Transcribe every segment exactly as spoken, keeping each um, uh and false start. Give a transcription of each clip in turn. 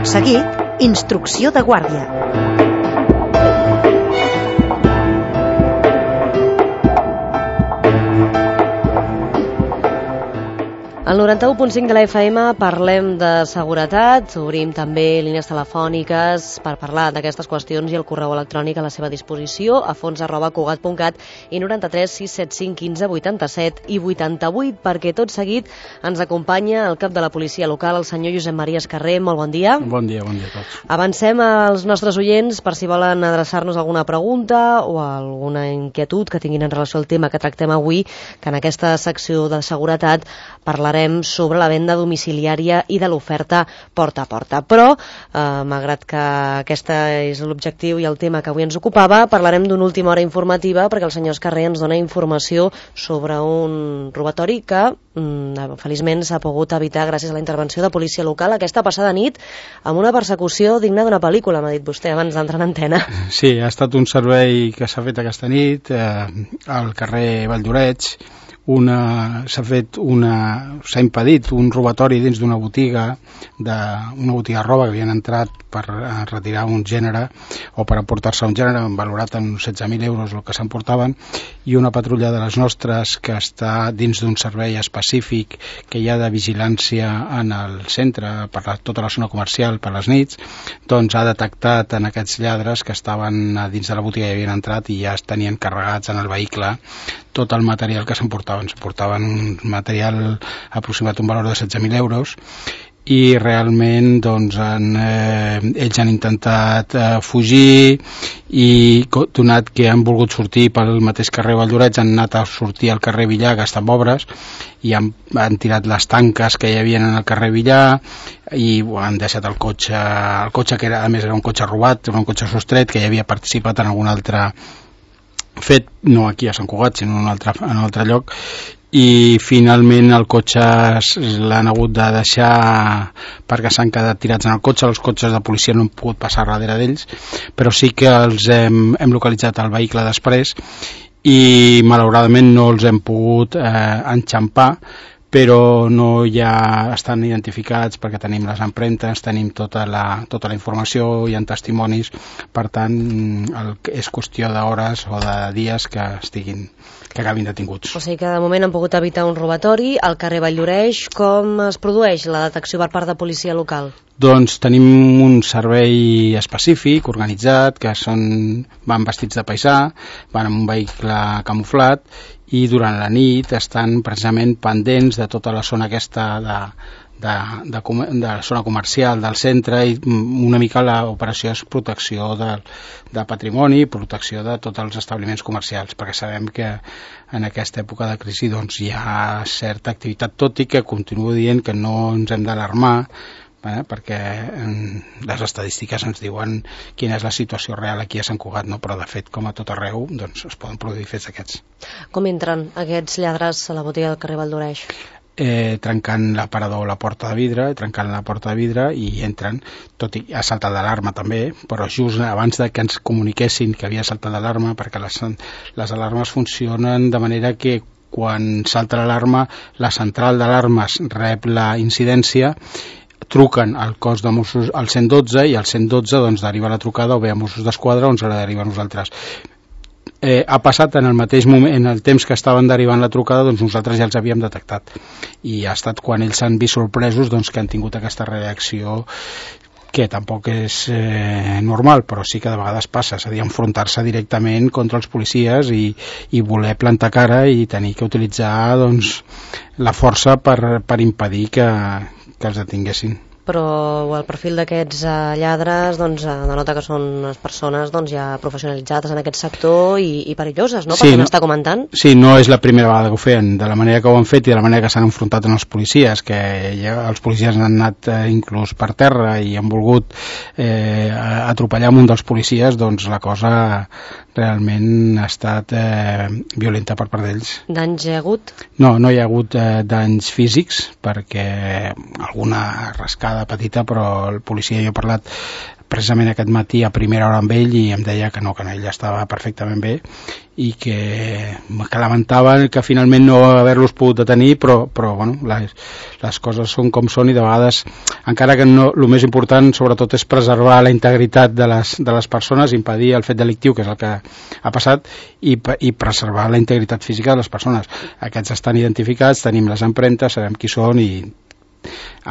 Tot seguit, instrucció de guàrdia. Al noranta-u punt cinc de la F M parlem de seguretat, obrim també línies telefòniques per parlar d'aquestes qüestions i el correu electrònic a la seva disposició a fons arroba cugat punt cat i noranta-tres sis set cinc quinze vuitanta-set i vuitanta-vuit, perquè tot seguit ens acompanya el cap de la policia local, el senyor Josep Maria Escarrer. Molt bon dia. Bon dia, bon dia a tots. Avancem als nostres oients per si volen adreçar-nos alguna pregunta o alguna inquietud que tinguin en relació al tema que tractem avui, que en aquesta secció de seguretat parlarem sobre la venda domiciliària i de l'oferta porta a porta. Però, eh, malgrat que aquest és l'objectiu i el tema que avui ens ocupava, parlarem d'una última hora informativa perquè el senyor Escarrer ens dona informació sobre un robatori que mm, feliçment s'ha pogut evitar gràcies a la intervenció de policia local aquesta passada nit amb una persecució digna d'una pel·lícula, m'ha dit vostè abans d'entrar en antena. Sí, ha estat un servei que s'ha fet aquesta nit eh, al carrer Valldoreix. Una, s'ha fet una, s'ha impedit un robatori dins d'una botiga, d'una botiga de roba que havien entrat per retirar un gènere o per emportar-se un gènere valorat en setze mil euros el que s'emportaven, i una patrulla de les nostres que està dins d'un servei específic que hi ha de vigilància en el centre per la, tota la zona comercial per les nits, doncs ha detectat en aquests lladres que estaven dins de la botiga i havien entrat i ja es tenien carregats en el vehicle tot el material que s'emportaven. S'emportaven un material aproximat un valor de setze mil euros i realment doncs, han, eh, ells han intentat eh, fugir i donat que han volgut sortir pel mateix carrer Valldoreix, han anat a sortir al carrer Villar, que està en obres, i han, han tirat les tanques que hi havia en el carrer Villar i bueno, han deixat el cotxe, el cotxe que era, a més era un cotxe robat, era un cotxe sostret que ja havia participat en algun altre fet, no aquí a Sant Cugat, sinó en un altre, en un altre lloc, i finalment el cotxe l'han hagut de deixar perquè s'han quedat tirats en el cotxe. Els cotxes de policia no han pogut passar darrere d'ells, però sí que els hem, hem localitzat el vehicle després i malauradament no els hem pogut eh, enxampar, però no ja estan identificats perquè tenim les empremtes, tenim tota la, tota la informació, hi ha testimonis, per tant el, és qüestió d'hores o de dies que estiguin, que acabin detinguts. O sigui que de moment han pogut evitar un robatori al carrer Valldoreix. Com es produeix la detecció per part de policia local? Doncs tenim un servei específic, organitzat, que són, van vestits de paisà, van amb un vehicle camuflat i durant la nit estan precisament pendents de tota la zona aquesta de, de, de, de la zona comercial del centre, i una mica l'operació és protecció de, de patrimoni, protecció de tots els establiments comercials, perquè sabem que en aquesta època de crisi doncs, hi ha certa activitat, tot i que continuo dient que no ens hem d'alarmar, Eh, perquè eh, les estadístiques ens diuen quina és la situació real aquí a Sant Cugat, no? Però de fet, com a tot arreu, doncs, es poden produir fets d'aquests. Com entren aquests lladres a la botiga del carrer Valldoreix? Eh, trencant l'aparador o la porta de vidre, trencant la porta de vidre i entren, tot i ha saltat l'alarma també, però just abans de que ens comuniquessin que havia saltat l'alarma, perquè les, les alarmes funcionen de manera que quan salta l'alarma, la central d'alarmes rep la incidència, truquen al cos de Mossos al cent dotze i al cent dotze doncs, deriva la trucada o bé a Mossos d'Esquadra o ens la deriva a nosaltres. Eh, ha passat en el mateix moment, en el temps que estaven derivant la trucada, doncs nosaltres ja els havíem detectat i ha estat quan ells s'han vist sorpresos doncs, que han tingut aquesta reacció que tampoc és eh, normal, però sí que de vegades passa, és a dir, enfrontar-se directament contra els policies i, i voler plantar cara i tenir que utilitzar doncs, la força per, per impedir que, que els detinguessin. Però el perfil d'aquests eh, lladres doncs, eh, denota que són unes persones doncs, ja professionalitzades en aquest sector i, i perilloses, no? Sí, Perquè no n'està comentant. Sí, no és la primera vegada que ho feien, de la manera que ho han fet i de la manera que s'han enfrontat amb els policies, que ja, els policies han anat eh, inclús per terra i han volgut eh, atropellar amb un dels policies, doncs la cosa realment ha estat eh, violenta per part d'ells. Danys hi ha hagut? No, no hi ha hagut eh, danys físics, perquè alguna rascada petita, però el policia, jo he parlat precisament aquest matí a primera hora amb ell i em deia que no, que ell estava perfectament bé i que, que lamentava que finalment no haver-los pogut detenir, però, però bueno, les, les coses són com són i de vegades, encara que no, el més important sobretot és preservar la integritat de les, de les persones, impedir el fet delictiu, que és el que ha passat, i, i preservar la integritat física de les persones. Aquests estan identificats, tenim les empremtes, sabem qui són i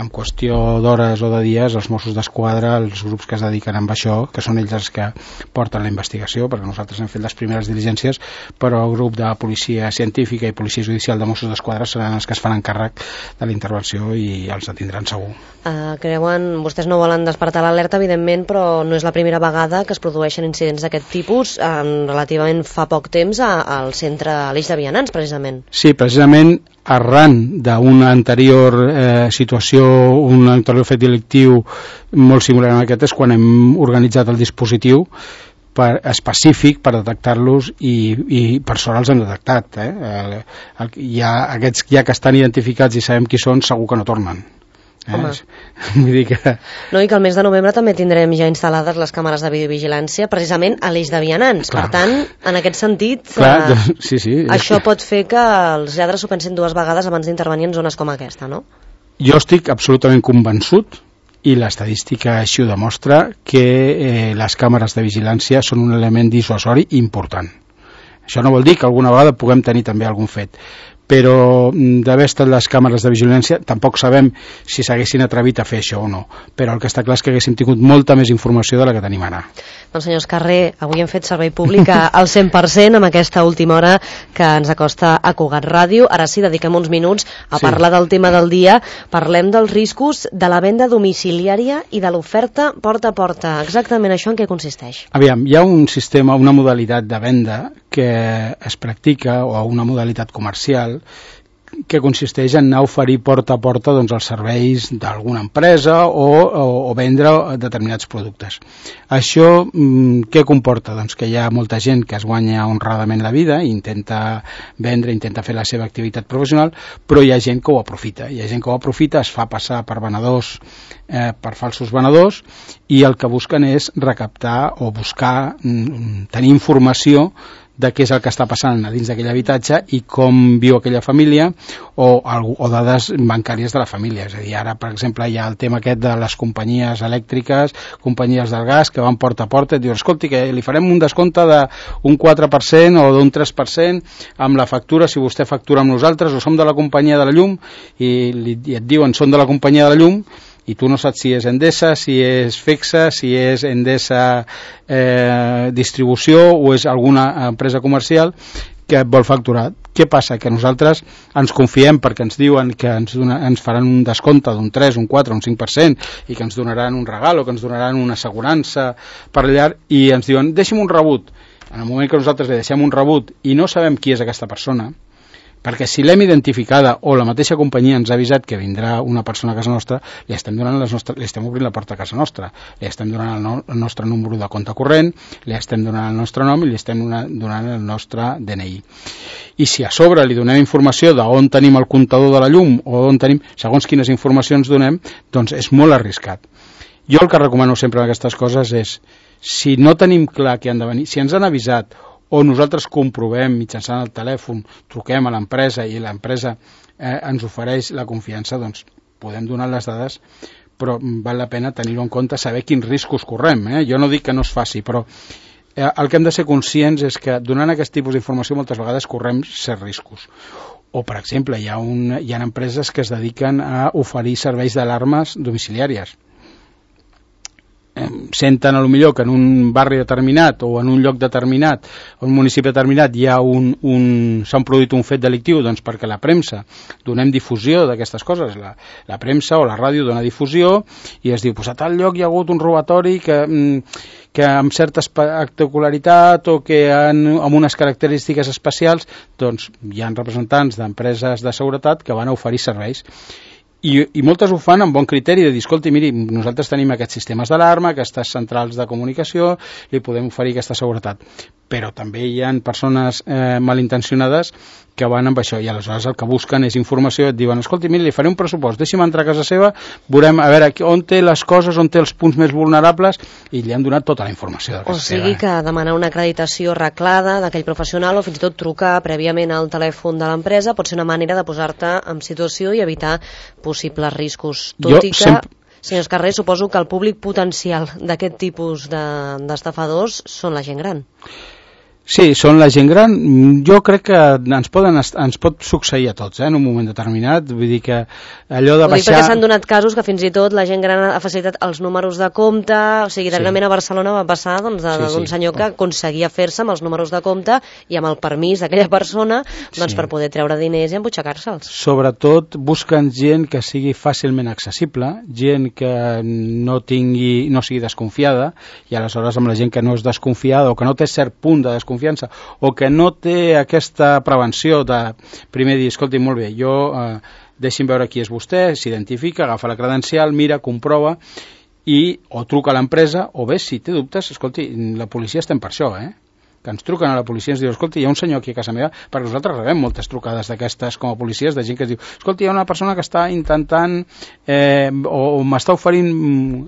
en qüestió d'hores o de dies els Mossos d'Esquadra, els grups que es dediquen a això, que són ells els que porten la investigació, perquè nosaltres hem fet les primeres diligències, però el grup de policia científica i policia judicial de Mossos d'Esquadra seran els que es faran càrrec de la intervenció i els detindran segur. Uh, creuen, vostès no volen despertar l'alerta, evidentment, però no és la primera vegada que es produeixen incidents d'aquest tipus, um, relativament fa poc temps a, al centre, a l'Eix de Vianants, precisament. Sí, precisament arran d'una anterior eh, situació, un anterior fet delictiu molt similar a aquest, és quan hem organitzat el dispositiu per, específic per detectar-los i, i per sort els hem detectat. Eh? El, el, hi ha, aquests ja que estan identificats i sabem qui són, segur que no tornen. Eh? Vull dir que... No, i que el mes de novembre també tindrem ja instal·lades les càmeres de videovigilància precisament a l'Eix de Vianants. Clar. Per tant, en aquest sentit, Clar, eh, sí, sí. això pot fer que els lladres s'ho pensin dues vegades abans d'intervenir en zones com aquesta, no? Jo estic absolutament convençut, i l'estadística així ho demostra, que eh, les càmeres de vigilància són un element dissuasori important. Això no vol dir que alguna vegada puguem tenir també algun fet, però d'haver estat les càmeres de vigilància tampoc sabem si s'haguessin atrevit a fer això o no, però el que està clar és que haguéssim tingut molta més informació de la que tenim ara. Doncs senyors Carrer, avui hem fet servei públic al cent per cent amb aquesta última hora que ens acosta a Cugat Ràdio. Ara sí, dediquem uns minuts a sí. parlar del tema del dia. Parlem dels riscos de la venda domiciliària i de l'oferta porta a porta. Exactament això en què consisteix? Aviam, hi ha un sistema, una modalitat de venda que es practica, o una modalitat comercial, que consisteix en anar a oferir porta a porta doncs, els serveis d'alguna empresa o, o, o vendre determinats productes. Això mm, què comporta? Doncs que hi ha molta gent que es guanya honradament la vida, intenta vendre, intenta fer la seva activitat professional, però hi ha gent que ho aprofita. Hi ha gent que ho aprofita, es fa passar per venedors, eh, per falsos venedors, i el que busquen és recaptar o buscar mm, tenir informació de què és el que està passant a dins d'aquell habitatge i com viu aquella família o, o dades bancàries de la família. És a dir, ara, per exemple, hi ha el tema aquest de les companyies elèctriques, companyies del gas, que van porta a porta i et diuen, escolti, que li farem un descompte d'un quatre per cent o d'un tres per cent amb la factura, si vostè factura amb nosaltres, o som de la companyia de la llum, i, li, i et diuen, són de la companyia de la llum, i tu no saps si és Endesa, si és Fexa, si és Endesa eh, Distribució o és alguna empresa comercial que et vol facturar. Què passa? Que nosaltres ens confiem perquè ens diuen que ens, dona, ens faran un descompte d'un tres, un quatre, un cinc per cent i que ens donaran un regal o que ens donaran una assegurança per llar, i ens diuen, deixi'm un rebut. En el moment que nosaltres li deixem un rebut i no sabem qui és aquesta persona, perquè si l'hem identificada o la mateixa companyia ens ha avisat que vindrà una persona a casa nostra, li estem donant les nostres, li estem obrint la porta a casa nostra, li estem donant el, no, el nostre número de compte corrent, li estem donant el nostre nom i li estem donant el nostre D N I. I si a sobre li donem informació d'on tenim el comptador de la llum o on tenim, segons quines informacions donem, doncs és molt arriscat. Jo el que recomano sempre en aquestes coses és, si no tenim clar que han de venir, si ens han avisat o nosaltres comprovem mitjançant el telèfon, truquem a l'empresa i l'empresa eh, ens ofereix la confiança, doncs podem donar les dades, però val la pena tenir-ho en compte, saber quins riscos correm. Eh? Jo no dic que no es faci, però eh, el que hem de ser conscients és que donant aquest tipus d'informació moltes vegades correm certs riscos. O, per exemple, hi ha, un, hi ha empreses que es dediquen a oferir serveis d'alarmes domiciliàries. Senten a lo millor que en un barri determinat o en un lloc determinat o un municipi determinat hi ha un, un, s'ha produït un fet delictiu, doncs perquè la premsa donem difusió d'aquestes coses, la, la premsa o la ràdio dona difusió i es diu, pues a tal lloc hi ha hagut un robatori que, que amb certa espectacularitat o que han, amb unes característiques especials, doncs hi ha representants d'empreses de seguretat que van a oferir serveis. I, i moltes ho fan amb bon criteri de dir, escolti, miri, nosaltres tenim aquests sistemes d'alarma, aquestes centrals de comunicació, li podem oferir aquesta seguretat. però també hi ha persones eh, malintencionades que van amb això, i aleshores el que busquen és informació, et diuen, escolti, mira, li faré un pressupost, deixi'm entrar a casa seva, veurem a veure on té les coses, on té els punts més vulnerables, i li han donat tota la informació de casa seva. O sigui seva. que demanar una acreditació reglada d'aquell professional o fins i tot trucar prèviament al telèfon de l'empresa pot ser una manera de posar-te en situació i evitar possibles riscos. Tot jo i que... sempre... Senyors Carrer, suposo que el públic potencial d'aquest tipus d'estafadors de, són la gent gran. Sí, són la gent gran. Jo crec que ens, poden, ens pot succeir a tots, eh, en un moment determinat. Vull dir que allò de baixar... Ho dic perquè s'han donat casos que fins i tot la gent gran ha facilitat els números de compte, o sigui, darrerament sí. A Barcelona va passar doncs, d'un sí, sí. senyor que aconseguia fer-se amb els números de compte i amb el permís d'aquella persona doncs, sí. per poder treure diners i embutxacar-se'ls. Sobretot busquen gent que sigui fàcilment accessible, gent que no tingui, no sigui desconfiada, i aleshores amb la gent que no és desconfiada o que no té cert punt de desconfiança confiança, o que no té aquesta prevenció de primer dir, escolti, molt bé, jo eh, deixi'm veure qui és vostè, s'identifica, agafa la credencial, mira, comprova, i o truca a l'empresa, o bé, si té dubtes, escolti, la policia estem per això, eh? Que ens truquen a la policia i ens diuen, escolti, hi ha un senyor aquí a casa meva, perquè nosaltres rebem moltes trucades d'aquestes com a policies, de gent que es diu, escolti, hi ha una persona que està intentant eh, o, o m'està oferint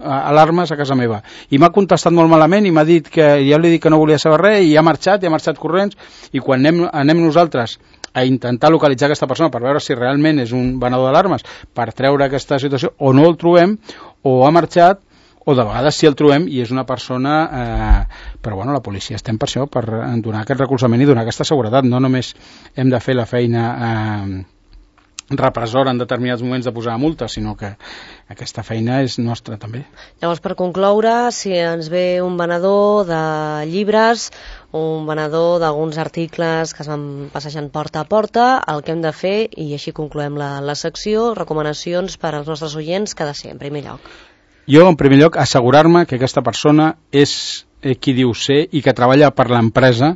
alarmes a casa meva, i m'ha contestat molt malament i m'ha dit que, ja li dic que no volia saber res, i ha marxat, i ha marxat corrents, i quan anem, anem nosaltres a intentar localitzar aquesta persona per veure si realment és un venedor d'alarmes, per treure aquesta situació, o no el trobem, o ha marxat, o de vegades si el trobem i és una persona eh, però bueno, la policia estem per això, per donar aquest recolzament i donar aquesta seguretat, no només hem de fer la feina eh, repressora en determinats moments de posar multa, sinó que aquesta feina és nostra també. Llavors, per concloure, si ens ve un venedor de llibres, un venedor d'alguns articles que es van passejant porta a porta, el que hem de fer, i així concloem la, la secció, recomanacions per als nostres oients, que ha de ser en primer lloc. Jo, en primer lloc, assegurar-me que aquesta persona és eh, qui diu ser i que treballa per l'empresa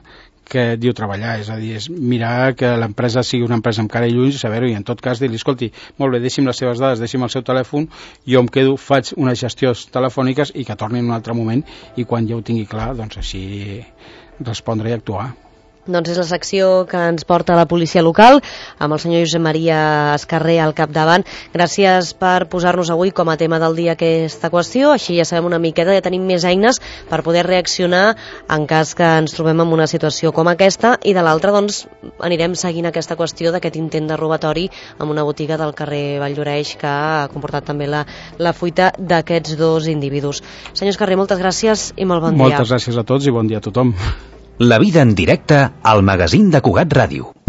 que diu treballar, és a dir, és mirar que l'empresa sigui una empresa amb cara i ulls i saber-ho, i en tot cas dir-li, escolti, molt bé, deixi'm les seves dades, deixi'm el seu telèfon, jo em quedo, faig unes gestions telefòniques i que torni en un altre moment, i quan ja ho tingui clar, doncs així respondre i actuar. Doncs és la secció que ens porta la policia local, amb el senyor Josep Maria Escarrer al capdavant. Gràcies per posar-nos avui com a tema del dia aquesta qüestió, així ja sabem una miqueta, ja tenim més eines per poder reaccionar en cas que ens trobem en una situació com aquesta, i de l'altra doncs anirem seguint aquesta qüestió d'aquest intent de robatori en una botiga del carrer Valldoreix que ha comportat també la, la fuita d'aquests dos individus. Senyor Escarrer, moltes gràcies i molt bon dia. Moltes gràcies a tots i bon dia a tothom. La vida en directe al magazín de Cugat Ràdio.